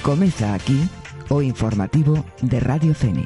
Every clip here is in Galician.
Comeza aquí o informativo de Radio Fene.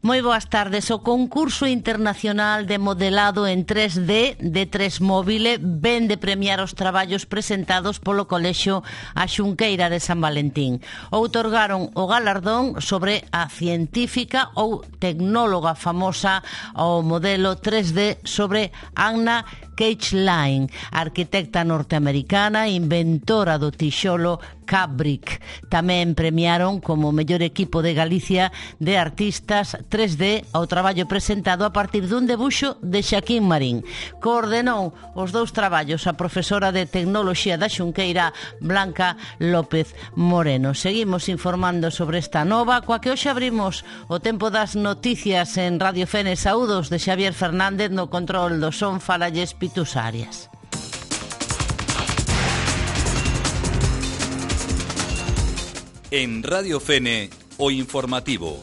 Moi boas tardes. O concurso internacional de modelado en 3D de 3Móvile ven de premiar os traballos presentados polo Colexio A Xunqueira de San Valentín. Outorgaron o galardón sobre a científica ou tecnóloga famosa ao modelo 3D sobre Anna Keishline, arquitecta norteamericana, inventora do tixolo Cabric. Tamén premiaron como mellor equipo de Galicia de artistas 3D ao traballo presentado a partir dun debuxo de Xaquín Marín. Coordenou os dous traballos a profesora de Tecnoloxía da Xunqueira, Blanca López Moreno. Seguimos informando sobre esta nova, coa que hoxe abrimos o tempo das noticias en Radio Fene. Saúdos de Xavier Fernández no control do son. Falalles Pitus Arias. En Radio Fene, o informativo.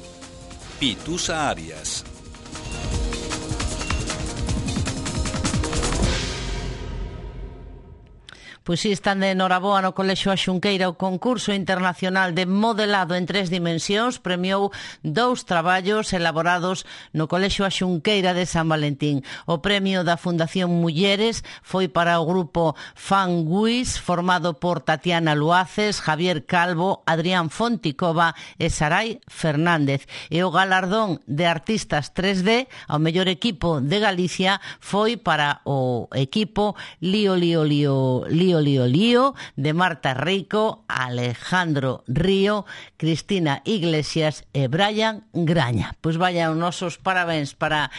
Pitusa Arias. Pois si, están de noraboa no Colexio A Xunqueira. O concurso internacional de modelado en 3 dimensións premiou 2 traballos elaborados no Colexio A Xunqueira de San Valentín. O premio da Fundación Mulleres foi para o grupo Fanguis, formado por Tatiana Luaces, Javier Calvo, Adrián Fonticova e Sarai Fernández. E o galardón de artistas 3D ao mellor equipo de Galicia foi para o equipo Lío de Marta Rico, Alejandro Río, Cristina Iglesias e Brian Graña. Pois vaya os nosos parabéns para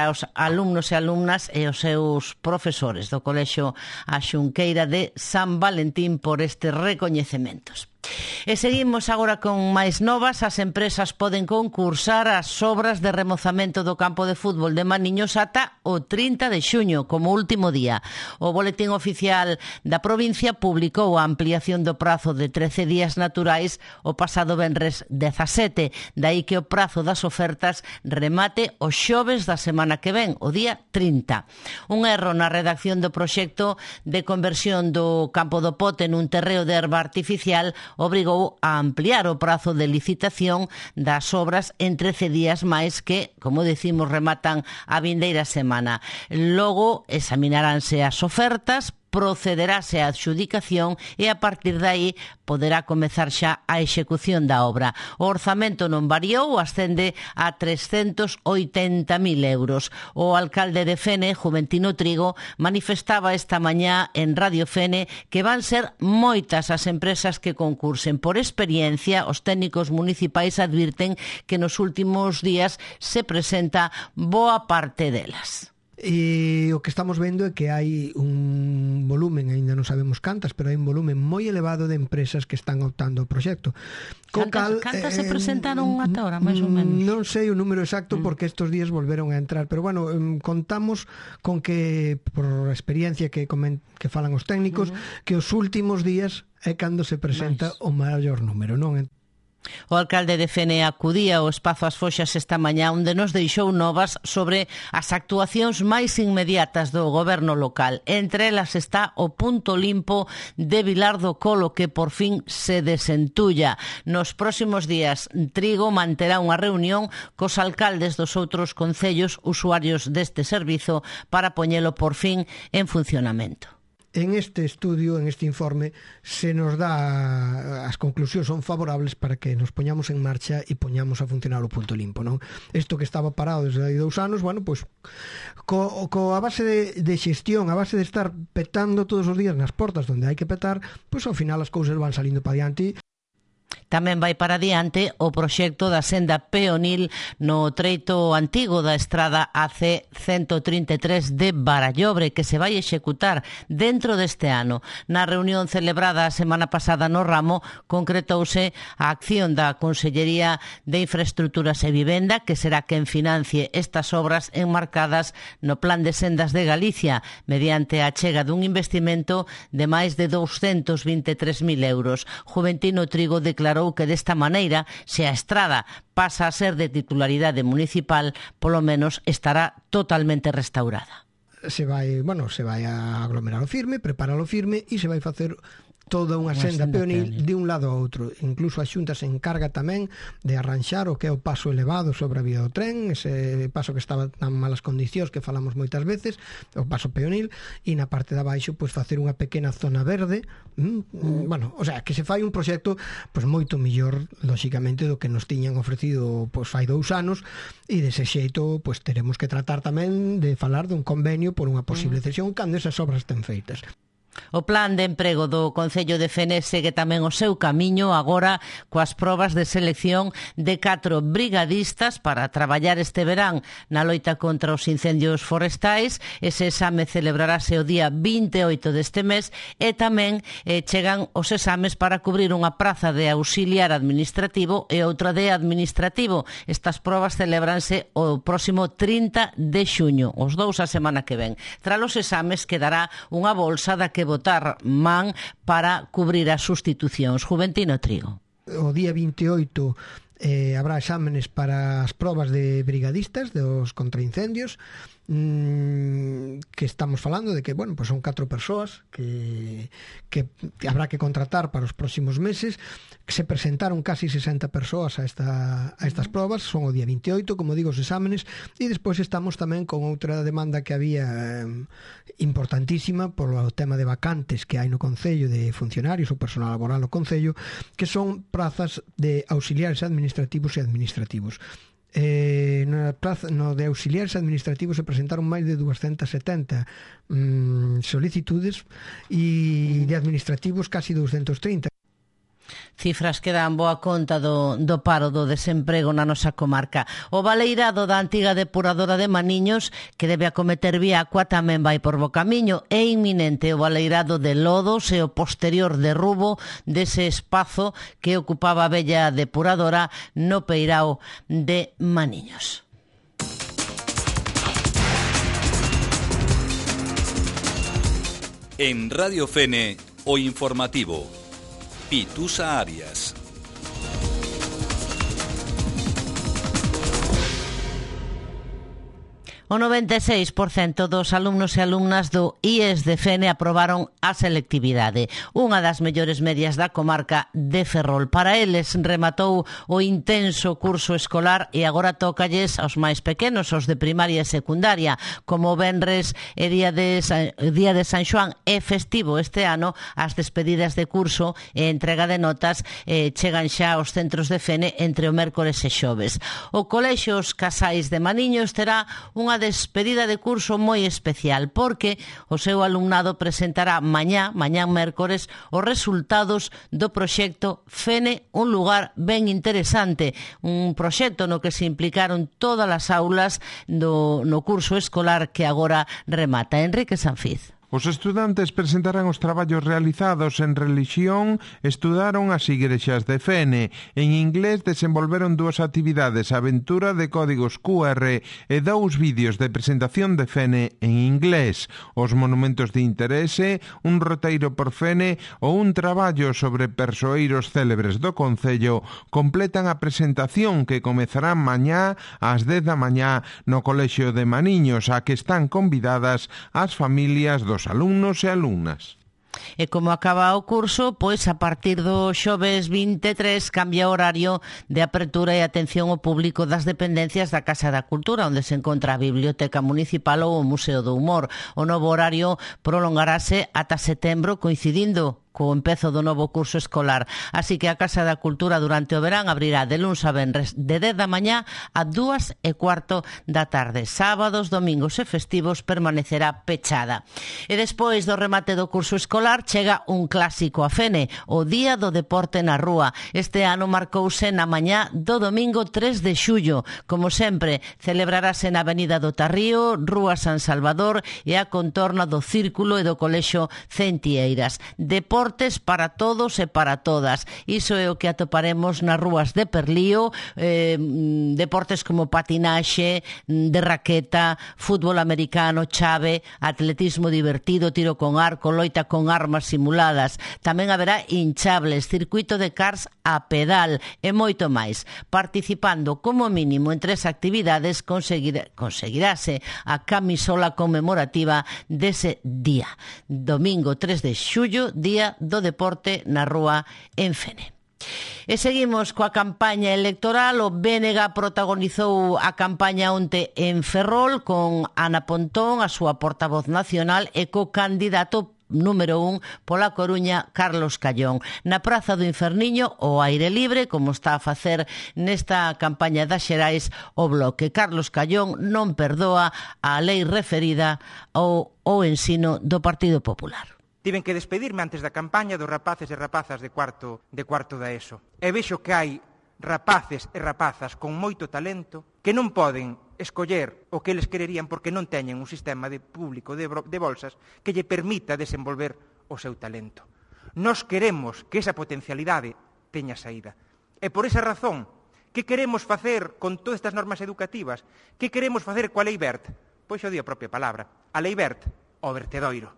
os alumnos e alumnas e os seus profesores do Colexio A Xunqueira de San Valentín por estes recoñecementos. E seguimos agora con máis novas. As empresas poden concursar as obras de remozamento do campo de fútbol de Maniños ata o 30 de xuño, como último día. O Boletín Oficial da provincia publicou a ampliación do prazo de 13 días naturais o pasado venres 17, dai que o prazo das ofertas remate o xoves da semana que ven, o día 30. Un erro na redacción do proxecto de conversión do campo do Pote nun terreo de herba artificial obrigou a ampliar o prazo de licitación das obras en 13 días máis que, como decimos, rematan a vindeira semana. Logo examinaránse as ofertas, procederáse á adxudicación e a partir de aí poderá comezar xa a execución da obra. O orzamento non variou, ascende a 380.000 euros. O alcalde de Fene, Juventino Trigo, manifestaba esta mañá en Radio Fene que van ser moitas as empresas que concursen. Por experiencia, os técnicos municipais advirten que nos últimos días se presenta boa parte delas. E o que estamos vendo é que hai un volumen, ainda non sabemos cantas, pero hai un volumen moi elevado de empresas que están optando ao proxecto. Cantas se presentaron ata ahora, máis ou menos? Non sei o número exacto porque estes días volveron a entrar, pero bueno, contamos con que, por a experiencia que falan os técnicos, que os últimos días é cando se presenta o maior número, non? O alcalde de Fene acudía ao Espazo As Foxas esta mañá, onde nos deixou novas sobre as actuacións máis inmediatas do goberno local. Entre elas está o punto limpo de Vilar do Colo, que por fin se desentulla. Nos próximos días, Trigo manterá unha reunión cos alcaldes dos outros concellos usuarios deste servizo para poñelo por fin en funcionamento. En este estudio, en este informe, se nos dá as conclusións son favorables para que nos poñamos en marcha e poñamos a funcionar o punto limpo, non? Isto que estaba parado desde hai 2 anos, bueno, pois coa base de xestión, a base de estar petando todos os días nas portas onde hai que petar, pois ao final as cousas van salindo para diante. Tamén vai para diante o proxecto da senda peonil no treito antigo da estrada AC-133 de Barallobre, que se vai executar dentro deste ano. Na reunión celebrada a semana pasada no ramo, concretouse a acción da Consellería de Infraestructuras e Vivenda, que será quen financie estas obras enmarcadas no Plan de Sendas de Galicia, mediante a achega dun investimento de máis de 223.000 euros. Juventino Trigo declarou que desta maneira, se a estrada pasa a ser de titularidade municipal, polo menos estará totalmente restaurada. Se vai a aglomerar o firme, preparar o firme e se vai facer toda unha senda peonil de un lado a outro. Incluso a Xunta se encarga tamén de arranxar o que é o paso elevado sobre a vía do tren, ese paso que estaba en malas condicións que falamos moitas veces, o paso peonil, e na parte de abaixo pois facer unha pequena zona verde. O sea, que se fai un proxecto pois moito mellor, lóxicamente, do que nos tiñan ofrecido pois fai 2 anos, e dese xeito pois teremos que tratar tamén de falar dun convenio por unha posible cesión cando esas obras estén feitas. O plan de emprego do Concello de Fene segue tamén o seu camiño agora coas probas de selección de 4 brigadistas para traballar este verán na loita contra os incendios forestais. Ese exame celebrarase o día 28 deste mes e tamén chegan os exames para cubrir unha praza de auxiliar administrativo e outra de administrativo. Estas probas celebranse o próximo 30 de xuño, os dous a semana que ven. Tras os exames quedará unha bolsa da que votar man para cubrir as sustitucións. Juventino Trigo. O día 28 habrá exámenes para as probas de brigadistas dos contraincendios, que estamos falando de que, pues son 4 persoas que habrá que contratar para os próximos meses. Que se presentaron casi 60 persoas a estas probas, son o día 28, como digo, os exámenes, e despois estamos tamén con outra demanda que había importantísima polo tema de vacantes que hai no Concello de funcionarios ou personal laboral no Concello, que son prazas de auxiliares administrativos e administrativos. No de auxiliares administrativos se presentaron máis de 270 solicitudes e de administrativos casi 230. Cifras que dan boa conta do paro do desemprego na nosa comarca. O baleirado da antiga depuradora de Maniños, que debe acometer Viacua, tamén vai por bo camiño. É inminente o baleirado de lodos e o posterior derrubo dese espazo que ocupaba a vella depuradora no peirao de Maniños. En Radio Fene, o informativo. Pitusa Arias. O 96% dos alumnos e alumnas do IES de Fene aprobaron a selectividade, unha das mellores medias da comarca de Ferrol. Para eles rematou o intenso curso escolar e agora tócalles aos máis pequenos, os de primaria e secundaria. Como venres e día de San Xoán é festivo este ano, as despedidas de curso e entrega de notas chegan xa aos centros de Fene entre o mércores e xoves. O Colexio Os Casais de Maniños terá unha despedida de curso moi especial porque o seu alumnado presentará mañá mércores, os resultados do proxecto Fene, un lugar ben interesante, un proxecto no que se implicaron todas as aulas no curso escolar que agora remata. Enrique Sanfiz. Os estudantes presentarán os traballos realizados en relixión, estudaron as igrexas de Fene. En inglés desenvolveron 2 actividades, aventura de códigos QR e 2 vídeos de presentación de Fene en inglés. Os monumentos de interese, un roteiro por Fene ou un traballo sobre persoeiros célebres do Concello completan a presentación que comezará mañá ás 10 da mañá no Colexio de Maniños, a que están convidadas as familias dos alumnos e alumnas. E como acaba o curso, pois a partir do xoves 23 cambia o horario de apertura e atención ao público das dependencias da Casa da Cultura, onde se encontra a Biblioteca Municipal ou o Museo do Humor. O novo horario prolongarase ata setembro, coincidindo co empezo do novo curso escolar. Así que a Casa da Cultura durante o verán abrirá de luns a venres de 10 da mañá a 2:15 da tarde. Sábados, domingos e festivos permanecerá pechada. E despois do remate do curso escolar chega un clásico a Fene, o Día do Deporte na Rúa. Este ano marcouse na mañá do domingo 3 de xullo. Como sempre, celebrarase na Avenida do Tarrío, Rúa San Salvador e a contorna do Círculo e do Colexio Centieiras. Deportes para todos e para todas. Iso é o que atoparemos nas rúas de Perlío, deportes como patinaxe, de raqueta, fútbol americano, chave, atletismo divertido, tiro con arco, loita con armas simuladas. Tamén haberá hinchables, circuito de cars a pedal e moito máis. Participando como mínimo en 3 actividades conseguirase a camisola conmemorativa dese día. Domingo 3 de xullo, Día do Deporte na Rúa en Fene. E seguimos coa campaña electoral. O BNG protagonizou a campaña onte en Ferrol con Ana Pontón, a súa portavoz nacional, e co candidato número 1 pola Coruña, Carlos Callón. Na Praza do Inferniño, ao aire libre, como está a facer nesta campaña das xerais o Bloque. Carlos Callón non perdoa a lei referida ao ensino do Partido Popular. Tiven que despedirme antes da campaña dos rapaces e rapazas de cuarto da ESO. E vexo que hai rapaces e rapazas con moito talento que non poden escoller o que eles quererían porque non teñen un sistema público de bolsas que lle permita desenvolver o seu talento. Nós queremos que esa potencialidade teña saída. E por esa razón, que queremos facer con todas estas normas educativas? Que queremos facer coa Lei Wert? Pois o di a propia palabra. A Lei Wert, o vertedoiro.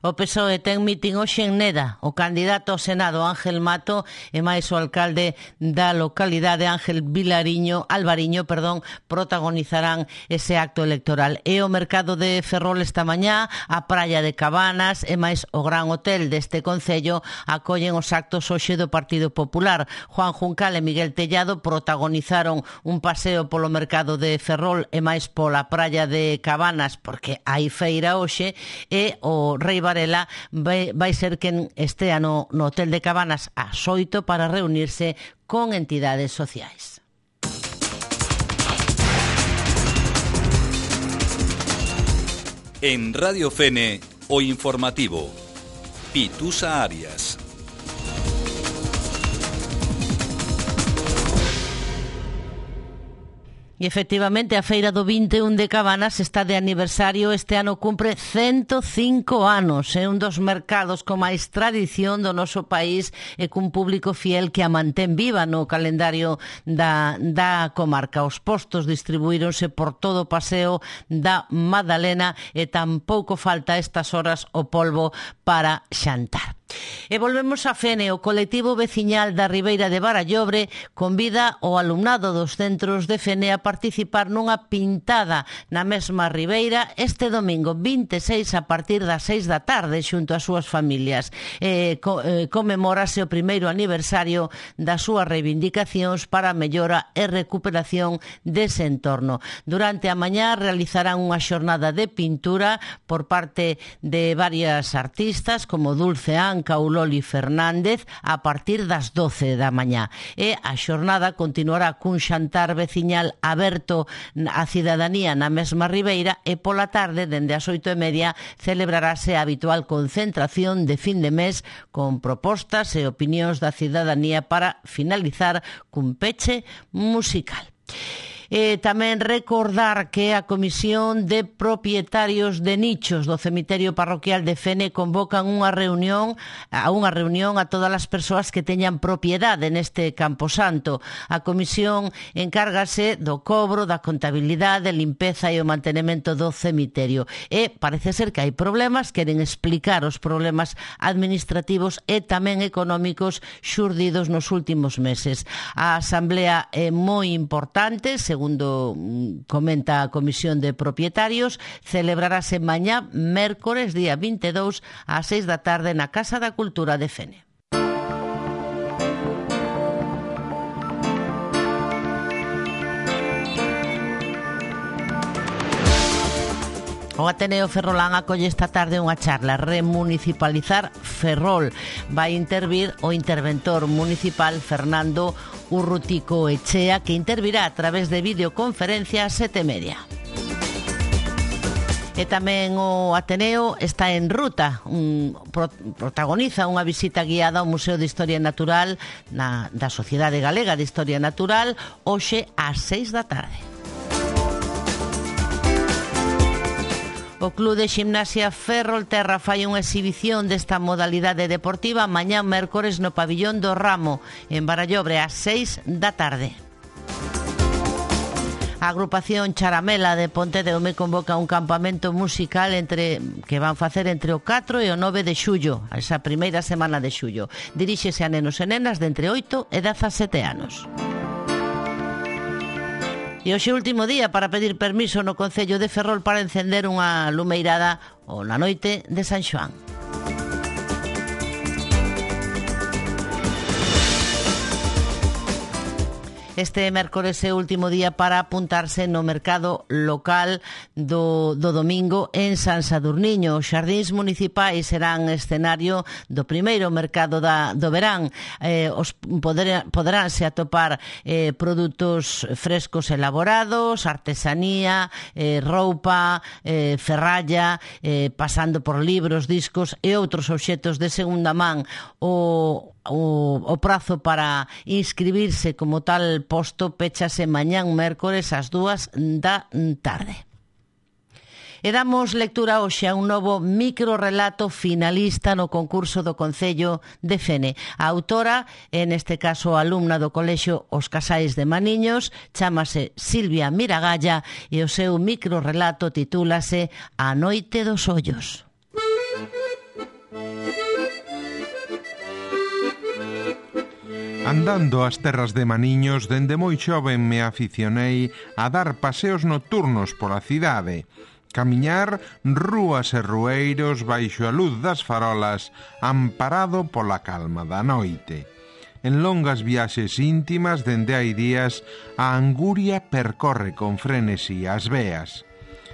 O PSOE ten mitin hoxe en Neda. O candidato ao Senado Ángel Mato e máis o alcalde da localidade Ángel Alvariño, protagonizarán ese acto electoral. E o mercado de Ferrol esta mañá, a praia de Cabanas e máis o Gran Hotel deste concello acollen os actos hoxe do Partido Popular. Juan Juncal e Miguel Tellado protagonizaron un paseo polo mercado de Ferrol e máis pola praia de Cabanas porque hai feira hoxe, e o Rei Varela vai ser quen estea no Hotel de Cabanas ás 8 para reunirse con entidades sociais. En Radio Fene, o informativo. Pitusa Arias. E efectivamente a feira do 21 de Cabanas está de aniversario. Este ano cumpre 105 anos. É un dos mercados con máis tradición do noso país e cun público fiel que a mantén viva no calendario da comarca. Os postos distribuíronse por todo o paseo da Madalena e tampouco falta a estas horas o polvo para xantar. E volvemos a Fene. O colectivo veciñal da Ribeira de Barallobre convida o alumnado dos centros de Fene a participar nunha pintada na mesma Ribeira este domingo 26 a partir das 6 da tarde xunto ás súas familias. Conmemórase o primeiro aniversario das súas reivindicacións para a mellora e recuperación dese entorno. Durante a mañá realizarán unha xornada de pintura por parte de varias artistas como Dulce Anca ou Loli Fernández a partir das 12 da mañá. E a xornada continuará cun xantar veciñal aberto á cidadanía na mesma Ribeira e pola tarde, dende as 8:30, celebrarase a habitual concentración de fin de mes con propostas e opinións da cidadanía para finalizar cun peche musical. Tamén recordar que a Comisión de Propietarios de Nichos do Cemiterio Parroquial de Fene convocan unha reunión a todas as persoas que teñan propiedade neste camposanto. A comisión encárgase do cobro, da contabilidade, limpeza e o mantenimento do cemiterio. E parece ser que hai problemas, queren explicar os problemas administrativos e tamén económicos xurdidos nos últimos meses. A asamblea é moi importante, segundo comenta a Comisión de Propietarios, celebrarase mañá, mércores, día 22, ás 6 da tarde na Casa da Cultura de Fene. O Ateneo Ferrolán acolle esta tarde unha charla Remunicipalizar Ferrol. Vai intervir o interventor municipal Fernando Urrutico Echea, que intervirá a través de videoconferencia ás 7:30. E tamén o Ateneo está en ruta, protagoniza unha visita guiada ao Museo de Historia Natural da Sociedade Galega de Historia Natural hoxe ás 6 da tarde. O Club de Ximnasia Ferrolterra fai unha exhibición desta modalidade deportiva mañá mércores no pabillón do Ramo, en Barallobre, ás 6 da tarde. A agrupación Charamela de Pontedeume convoca un campamento musical que van facer entre o 4 e o 9 de xullo, esa primeira semana de xullo. Diríxese a nenos e nenas de entre 8 e 17 anos. E hoxe último día para pedir permiso no Concello de Ferrol para encender unha lumeirada na noite de San Xoán. Este mércores é o último día para apuntarse no mercado local do domingo en San Sadurniño. Os xardíns municipais serán escenario do primeiro mercado do verán. Poderánse atopar produtos frescos elaborados, artesanía, roupa, ferralla, pasando por libros, discos e outros obxetos de segunda man. O prazo para inscribirse como tal posto péchase mañán mércores ás 2 da tarde. E damos lectura hoxe a un novo microrelato finalista no concurso do Concello de Fene. A autora, en este caso alumna do Colexio Os Casais de Maniños, chámase Silvia Miragalla e o seu microrelato titúlase A noite dos ollos. Andando ás terras de Maniños, dende moi xoven me aficionei a dar paseos nocturnos pola cidade, camiñar rúas e rueiros baixo a luz das farolas, amparado pola calma da noite. En longas viaxes íntimas dende hai días, a anguria percorre con frenesi as veas.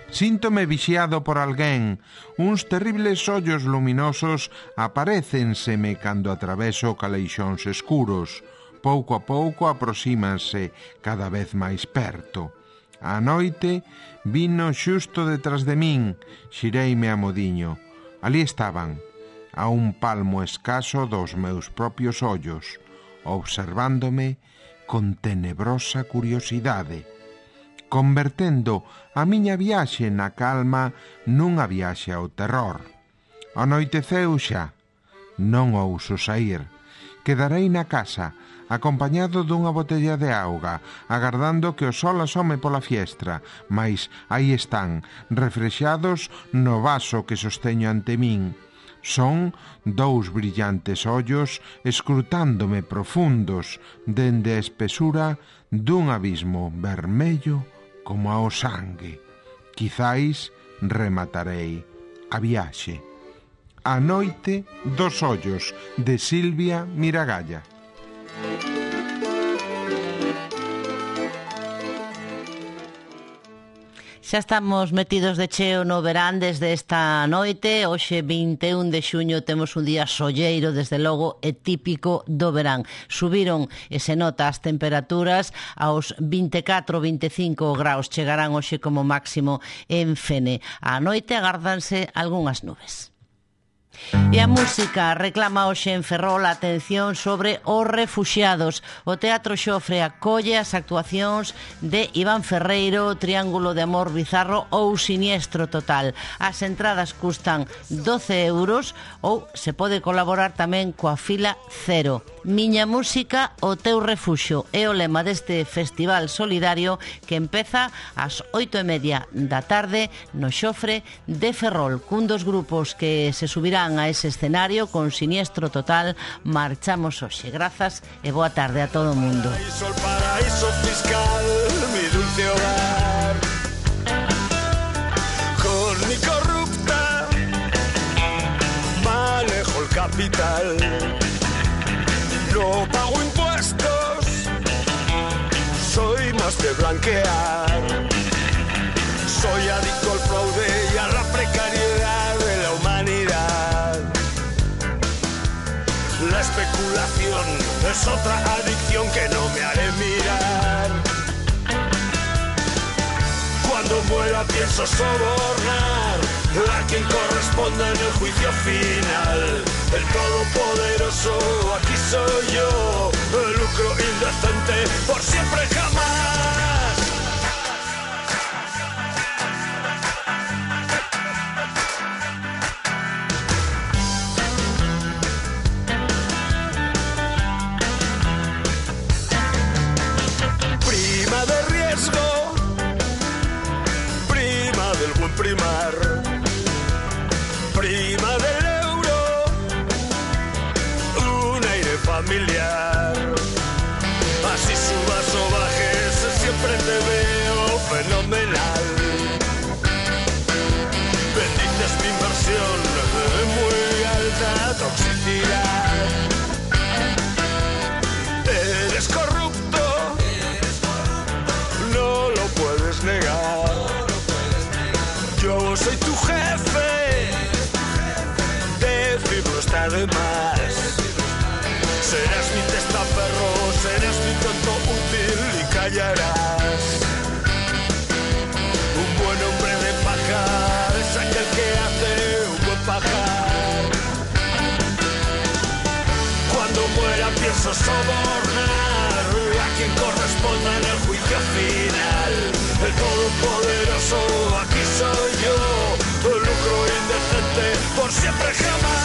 Síntome vixiado por alguén, uns terribles ollos luminosos aparécenseme cando atraveso caleixóns escuros. Pouco a pouco aproxímanse cada vez máis perto. A noite vino xusto detrás de min, xireime a modiño. Ali estaban, a un palmo escaso dos meus propios ollos, observándome con tenebrosa curiosidade, convertendo a miña viaxe na calma nunha viaxe ao terror. Anoiteceu xa, non ouso saír. Quedarei na casa, acompañado dunha botella de auga, agardando que o sol asome pola fiestra, mais aí están, refrexados no vaso que sosteño ante min. Son dous brillantes ollos escrutándome profundos dende a espesura dun abismo vermello como ao sangue. Quizáis rematarei a viaxe. A noite dos ollos, de Silvia Miragalla. Xa estamos metidos de cheo no verán desde esta noite. Hoxe 21 de xuño temos un día solleiro, desde logo, e típico do verán. Subiron e se nota as temperaturas aos 24-25 graus. Chegarán hoxe como máximo en Fene. A noite agárdanse algunhas nubes. E a música reclama hoxe en Ferrol a atención sobre os refuxiados. O Teatro Xofre acolle as actuacións de Iván Ferreiro, Triángulo de Amor Bizarro ou Siniestro Total. As entradas custan 12 euros ou se pode colaborar tamén coa fila cero. Miña música, o teu refuxio é o lema deste festival solidario que empeza ás 8:30 da tarde no Xofre de Ferrol, cun dos grupos que se subirán a ese escenario con Siniestro Total. Marchamos hoxe. Grazas e boa tarde a todo o mundo. Paraíso fiscal, mi dulce hogar, con mi corrupta manejo el capital, no pago impuestos, soy más de blanquear, soy adicto al fraude y al es otra adicción que no me haré mirar. Cuando muera pienso sobornar a quien corresponda en el juicio final. El todopoderoso aquí soy yo, el lucro indecente por siempre jamás. Prima de riesgo, prima del buen primar, prima del euro, un aire familiar. Así subas o bajes, siempre te veo fenomenal. Bendices mi inversión de muy alta toxicidad. Eres corrupto, no lo puedes negar. Yo soy tu jefe, decirlo está de más. Serás mi testaferro, serás mi tonto útil y callarás. Un buen hombre de paja es aquel que hace un buen pajar. Cuando muera pienso sobornar a quien corresponda en el juicio final. El todopoderoso aquí soy yo, el lucro indecente por siempre jamás.